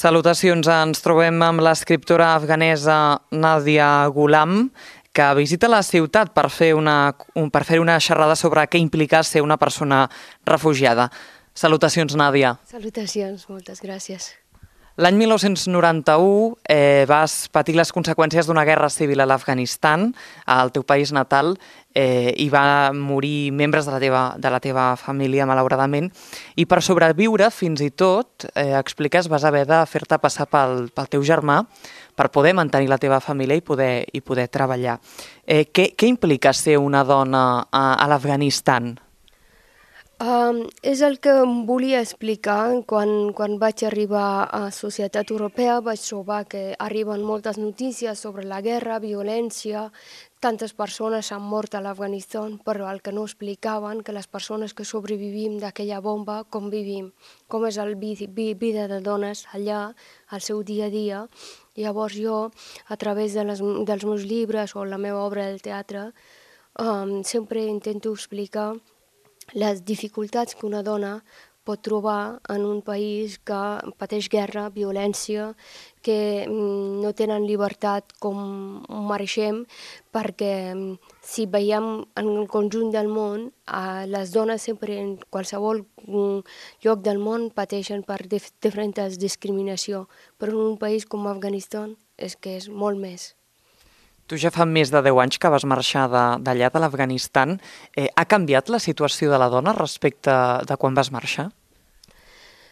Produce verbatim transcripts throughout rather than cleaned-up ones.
Salutacions, ens trobem amb l'escriptora afganesa Nadia Ghulam, que visita la ciutat per fer una, per fer una xerrada sobre què implica ser una persona refugiada. Salutacions, Nadia. Salutacions, moltes gràcies. L'any mil nou-cents noranta-u eh, vas patir les conseqüències d'una guerra civil a l'Afganistan, al teu país natal, eh, i va morir membres de la teva, de la teva família, malauradament, i per sobreviure, fins i tot, eh, expliques, vas haver de fer-te passar pel, pel teu germà per poder mantenir la teva família i poder, i poder treballar. Eh, què, què implica ser una dona a, a l'Afganistan? Um, és el que em volia explicar. Quan, quan vaig arribar a la societat europea vaig trobar que arriben moltes notícies sobre la guerra, violència, tantes persones han mort a l'Afganistan, però el que no explicaven que les persones que sobrevivim d'aquella bomba, com vivim, com és el vi, vi, vida de dones allà, al seu dia a dia. Llavors jo, a través de les, dels meus llibres o la meva obra del teatre, um, sempre intento explicar les dificultats que una dona pot trobar en un país que pateix guerra, violència, que no tenen llibertat com mereixem, perquè si veiem en el conjunt del món, les dones sempre en qualsevol lloc del món pateixen per diferents discriminacions, però en un país com Afganistan és que és molt més. Tu ja fa més de deu anys que vas marxar d'allà, de l'Afganistan. Eh, ha canviat la situació de la dona respecte de quan vas marxar?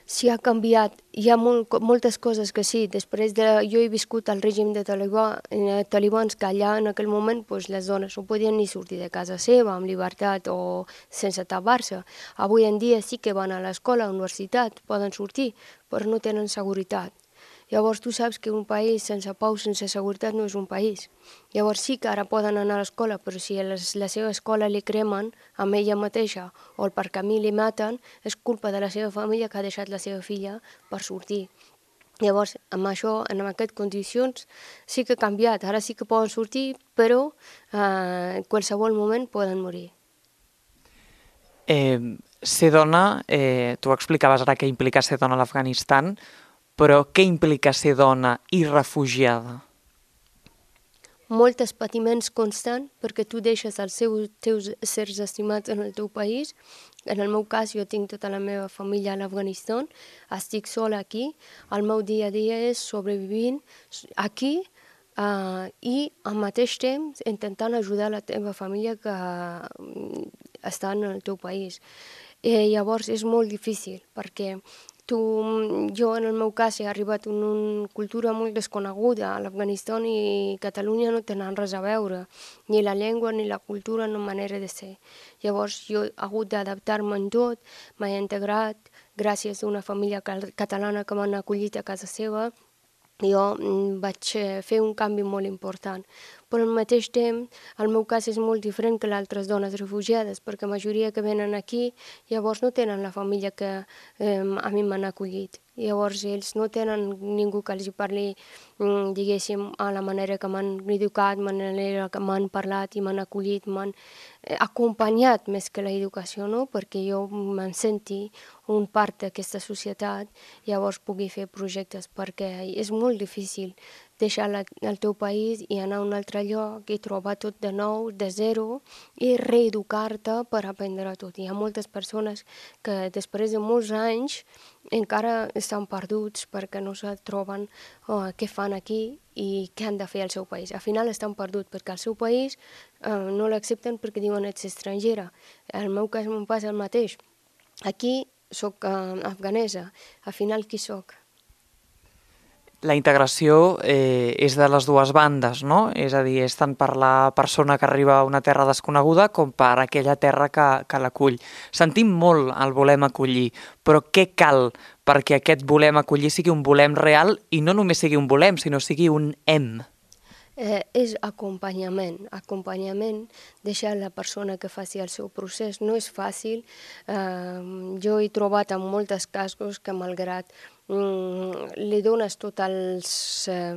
Sí, ha canviat. Hi ha molt, moltes coses que sí. Després de... Jo he viscut al règim de talibà, eh, talibans, que allà en aquell moment pues, les dones no podien ni sortir de casa seva amb llibertat o sense tapar-se. Avui en dia sí que van a l'escola, a la universitat, poden sortir, però no tenen seguretat. Llavors tu saps que un país sense pau, sense seguretat no és un país. Llavors sí que ara poden anar a l'escola, però si les, la seva escola li cremen amb ella mateixa o per camí li maten, és culpa de la seva família que ha deixat la seva filla per sortir. Llavors, amb això, en aquestes condicions, sí que ha canviat. Ara sí que poden sortir, però eh, en qualsevol moment poden morir. Eh, ser dona, eh, tu explicaves ara què implica ser dona a l'Afganistan, però què implica ser dona i refugiada? Molts patiments constants, perquè tu deixes els seus, teus éssers estimats en el teu país. En el meu cas, jo tinc tota la meva família a l'Afganistan, estic sola aquí, el meu dia a dia és sobrevivint aquí uh, i al mateix temps intentant ajudar la teva família que uh, està en el teu país. Eh, llavors és molt difícil, perquè Tu, jo, en el meu cas, he arribat en una cultura molt desconeguda. A l'Afganistan i Catalunya no tenen res a veure, ni la llengua, ni la cultura, ni la manera de ser. Llavors, jo he hagut d'adaptar-me en tot, m'he integrat gràcies a una família catalana que m'han acollit a casa seva. Jo vaig fer un canvi molt important. Però al mateix temps, el meu cas és molt diferent que les altres dones refugiades, perquè la majoria que venen aquí llavors no tenen la família que eh, a mi m'han acollit. Llavors ells no tenen ningú que els parli, diguéssim, a la manera que m'han educat, la manera que m'han parlat i m'han acollit, m'han acompanyat més que l'educació, no? Perquè jo me'n senti un part d'aquesta societat, llavors pugui fer projectes, perquè és molt difícil deixar la, el teu país i anar a un altre lloc i trobar tot de nou, de zero, i reeducar-te per aprendre tot. Hi ha moltes persones que després de molts anys encara estan perduts perquè no se troben oh, què fan aquí i què han de fer al seu país. Al final estan perduts perquè al seu país eh, no l'accepten perquè diuen ets estrangera. En el meu cas em passa el mateix. Aquí soc eh, afganesa, al final qui soc? La integració eh, és de les dues bandes, no? És a dir, és tant per la persona que arriba a una terra desconeguda com per aquella terra que, que l'acull. Sentim molt el volem acollir, però què cal perquè aquest volem acollir sigui un volem real i no només sigui un volem, sinó sigui un hem? Eh, és acompanyament, acompanyament, deixar la persona que faci el seu procés. No és fàcil. Eh, jo he trobat en molts casos que malgrat li dones tots els eh,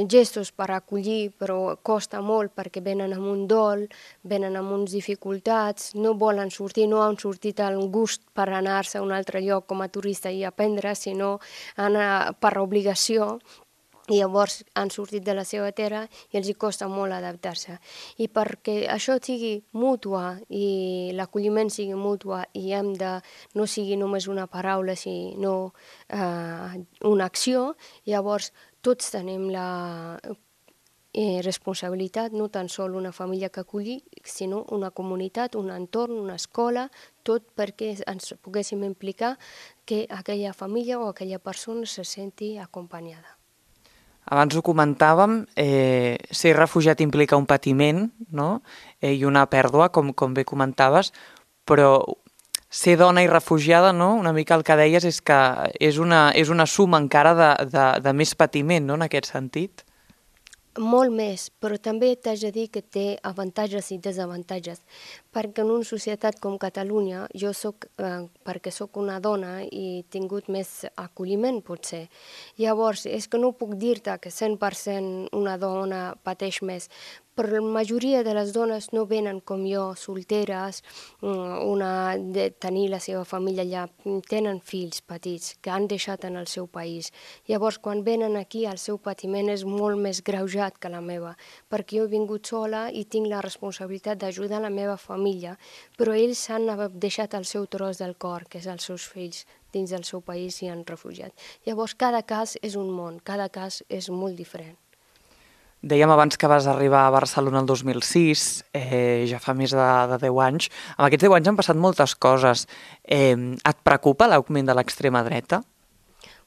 gestos per acollir, però costa molt perquè venen amb un dol, venen amb uns dificultats, no volen sortir, no han sortit al gust per anar-se a un altre lloc com a turista i aprendre, sinó anar per obligació. I llavors han sortit de la seva terra i els hi costa molt adaptar-se. I perquè això sigui mútua i l'acolliment sigui mútua i hem de, no sigui només una paraula, sinó eh, una acció, llavors tots tenim la eh, responsabilitat, no tan sol una família que acolli, sinó una comunitat, un entorn, una escola, tot perquè ens poguéssim implicar que aquella família o aquella persona se senti acompanyada. Abans ho comentàvem, eh, ser refugiat implica un patiment, no? eh, i una pèrdua, com, com bé comentaves, però ser dona i refugiada, no? Una mica el que deies és que és una, és una suma encara de, de, de més patiment, no? En aquest sentit. Molt més, però també t'haig de dir que té avantatges i desavantatges, perquè en una societat com Catalunya, jo soc, eh, perquè sóc una dona i he tingut més acolliment, potser. Llavors, és que no puc dir-te que cent per cent una dona pateix més, però la majoria de les dones no venen com jo, solteres, una de tenir la seva família allà, tenen fills petits que han deixat en el seu país. Llavors, quan venen aquí, el seu patiment és molt més greujat que la meva, perquè jo he vingut sola i tinc la responsabilitat d'ajudar la meva família, però ells han deixat el seu tros del cor, que és els seus fills, dins del seu país i han refugiat. Llavors, cada cas és un món, cada cas és molt diferent. Dèiem abans que vas arribar a Barcelona el dos mil sis, eh, ja fa més de, de deu anys. Amb aquests deu anys han passat moltes coses. Eh, et preocupa l'augment de l'extrema dreta?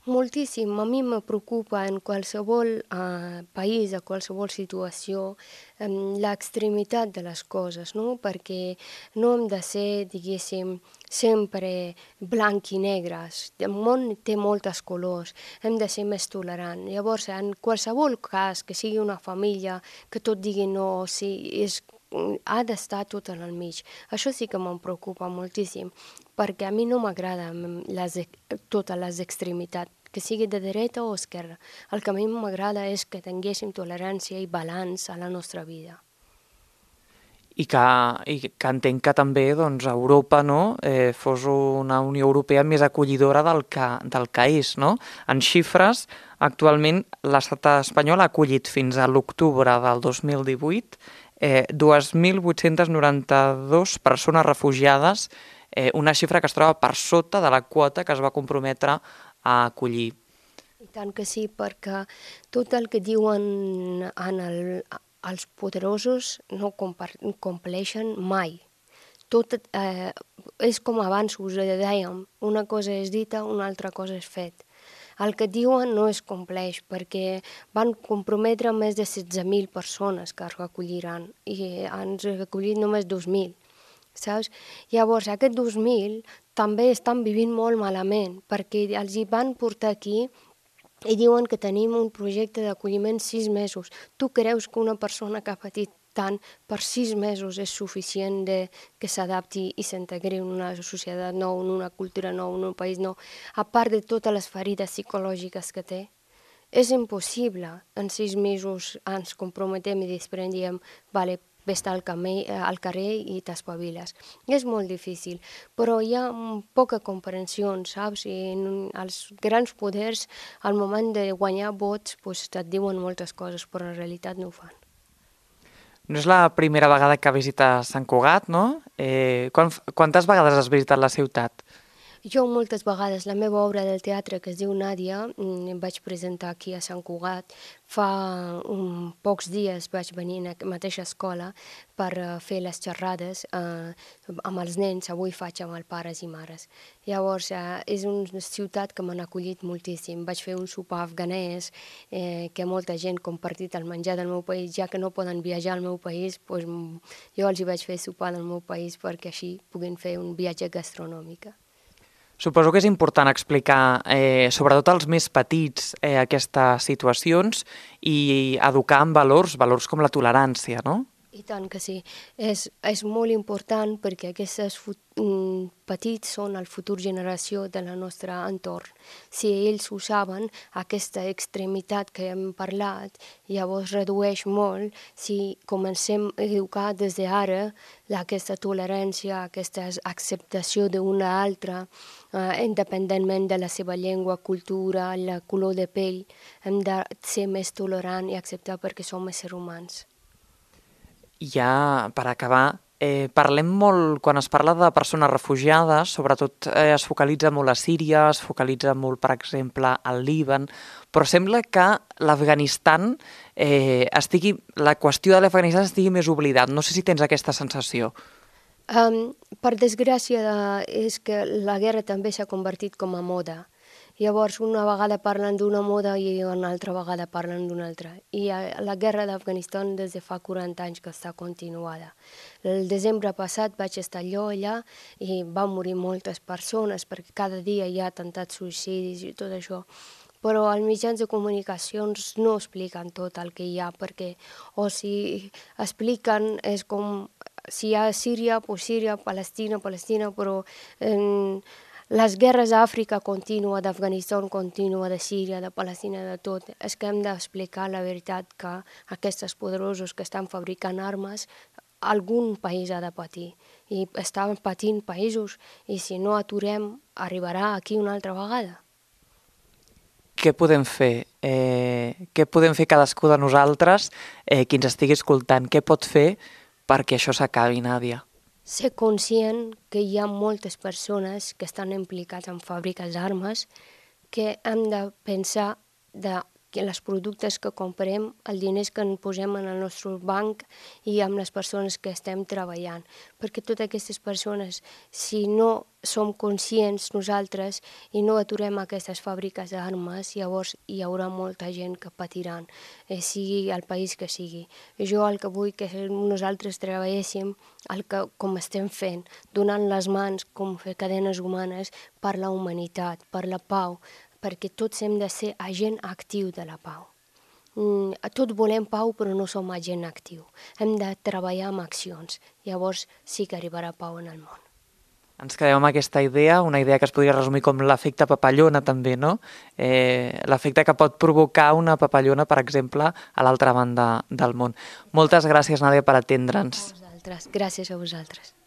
Moltíssim. A mi me preocupa en qualsevol eh, país, a qualsevol situació, eh, l'extremitat de les coses, no? Perquè no hem de ser, diguéssim, sempre blanc i negres. El món té moltes colors, hem de ser més tolerants. Llavors, en qualsevol cas, que sigui una família, que tot digui no, sí, és ha d'estar tot en el mig. Això sí que me'n preocupa moltíssim, perquè a mi no m'agrada totes les extremitats, que sigui de dreta o esquerra. El que a mi m'agrada és que tinguéssim tolerància i balanç a la nostra vida. I que, i que entenc que també doncs, Europa no, eh, fos una Unió Europea més acollidora del que, del que és. No? En xifres, actualment l'estat espanyol ha acollit fins a l'octubre del dos mil divuit eh, dos mil vuit-cents noranta-dues persones refugiades, eh, una xifra que es troba per sota de la quota que es va comprometre a acollir. I tant que sí, perquè tot el que diuen en el, els poderosos no compleixen mai. Tot eh, és com abans us dèiem, una cosa és dita, una altra cosa és fet. El que diuen no es compleix perquè van comprometre més de setze mil persones que es recolliran i han recollit només dos mil. Saps? Llavors, aquests dos mil també estan vivint molt malament perquè els hi van portar aquí i diuen que tenim un projecte d'acolliment sis mesos. Tu creus que una persona que ha patit tant per sis mesos és suficient de que s'adapti i s'integri en una societat nova, en una cultura nova, en un país nou, a part de totes les ferides psicològiques que té? És impossible. En sis mesos ens comprometem i després diem, vale, vés-te al, al carrer i t'espaviles. És molt difícil, però hi ha poca comprensió, saps? I en els grans poders, al moment de guanyar vots, doncs et diuen moltes coses, però en realitat no ho fan. No és la primera vegada que visites Sant Cugat, no? Eh, quantes vegades has visitat la ciutat? Jo moltes vegades, la meva obra del teatre que es diu Nàdia, em vaig presentar aquí a Sant Cugat. Fa um, pocs dies vaig venir a la mateixa escola per uh, fer les xerrades uh, amb els nens, avui faig amb els pares i mares. Llavors, uh, és una ciutat que m'han acollit moltíssim. Vaig fer un sopar afganès, eh, que molta gent ha compartit el menjar del meu país, ja que no poden viatjar al meu país, doncs jo els hi vaig fer sopar del meu país perquè així puguin fer un viatge gastronòmic. Suposo que és important explicar, eh, sobretot als més petits, eh, aquestes situacions i educar en valors, valors com la tolerància, no? I tant que sí. És, és molt important perquè aquests petits són la futura generació de la nostra entorn. Si ells ho saben, aquesta extremitat que hem parlat llavors redueix molt si comencem a educar des d'ara aquesta tolerància, aquesta acceptació d'una altra, eh, independentment de la seva llengua, cultura, la color de pell. Hem de ser més tolerants i acceptar perquè som éssers humans. Ja, per acabar, eh, parlem molt, quan es parla de persones refugiades, sobretot eh, es focalitza molt a Síria, es focalitza molt, per exemple, al Líban, però sembla que l'Afganistan eh, estigui, la qüestió de l'Afganistan estigui més oblidat. No sé si tens aquesta sensació. Um, per desgràcia, és que la guerra també s'ha convertit com a moda. Llavors, una vegada parlen d'una moda i una altra vegada parlen d'una altra. I la guerra d'Afganistan des de fa quaranta anys que està continuada. El desembre passat vaig estar allò allà i van morir moltes persones perquè cada dia hi ha atemptats suïcidis i tot això. Però els mitjans de comunicacions no expliquen tot el que hi ha, perquè o si expliquen és com si hi ha Síria, doncs Síria, Palestina, Palestina, però eh, les guerres d'Àfrica continua, d'Afganistan continua, de Síria, de Palestina, de tot. És que hem d'explicar la veritat que aquests poderosos que estan fabricant armes, algun país ha de patir. I estan patint països, i si no aturem, arribarà aquí una altra vegada. Què podem fer? Eh, què podem fer cadascú de nosaltres, eh, qui ens estigui escoltant? Què pot fer perquè això s'acabi, Nàdia? Ser conscient que hi ha moltes persones que estan implicats en fàbriques d'armes, que hem de pensar de que els productes que comprem, els diners que ens posem en el nostre banc i amb les persones que estem treballant. Perquè totes aquestes persones, si no som conscients nosaltres i no aturem aquestes fàbriques d'armes, llavors hi haurà molta gent que patiran, eh, sigui el país que sigui. Jo el que vull que nosaltres treballéssim el que, com estem fent, donant les mans com fer cadenes humanes per la humanitat, per la pau, perquè tots hem de ser agent actiu de la pau. Mm, tots volem pau, però no som agent actiu. Hem de treballar amb accions. Llavors sí que arribarà pau en el món. Ens quedem amb aquesta idea, una idea que es podria resumir com l'efecte papallona també, no? Eh, l'efecte que pot provocar una papallona, per exemple, a l'altra banda del món. Moltes gràcies, Nàdia, per atendre'ns. A vosaltres. Gràcies a vosaltres.